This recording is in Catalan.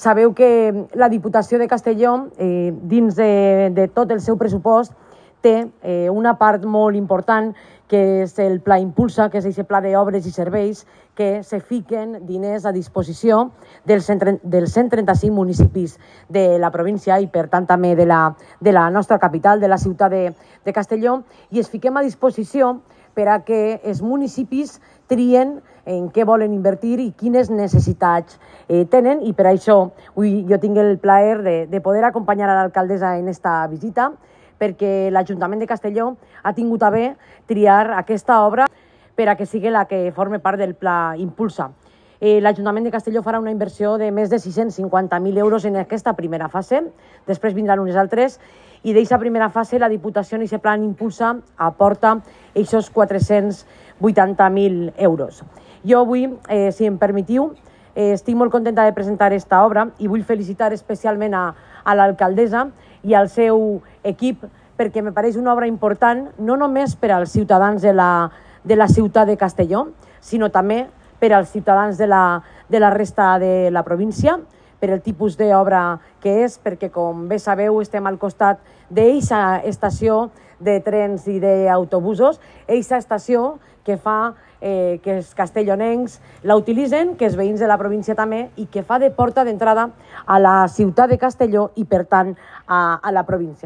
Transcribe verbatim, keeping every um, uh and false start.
Sabeu que la Diputació de Castelló, eh, dins de, de tot el seu pressupost, té eh, una part molt important, que és el Pla Impulsa, que és aquest pla d'obres i serveis que se fiquen diners a disposició dels cent trenta-cinc municipis de la província i, per tant, també de la, de la nostra capital, de la ciutat de, de Castelló, i es fiquem a disposició per a que els municipis trien en què volen invertir i quines necessitats eh, tenen, i per això avui jo tinc el plaer de, de poder acompanyar a l'alcaldessa en esta visita, perquè l'Ajuntament de Castelló ha tingut a bé triar aquesta obra per a que sigui la que forme part del Pla Impulsa. Eh, L'Ajuntament de Castelló farà una inversió de més de sis-cents cinquanta mil euros en aquesta primera fase, després vindran unes altres, i d'aquesta primera fase la Diputació en aquest Pla Impulsa aporta aquests quatre-cents vuitanta mil euros. Jo avui, eh, si em permetiu, eh, estic molt contenta de presentar aquesta obra i vull felicitar especialment a, a l'alcaldessa i al seu equip, perquè me pareix una obra important no només per als ciutadans de la, de la ciutat de Castelló, sinó també per als ciutadans de la, de la resta de la província, per el tipus d'obra que és, perquè, com bé sabeu, estem al costat d'aquesta estació de trens i d'autobusos, aquesta estació que fa eh, que els castellonencs la utilitzen, que els veïns de la província també, i que fa de porta d'entrada a la ciutat de Castelló i, per tant, a, a la província.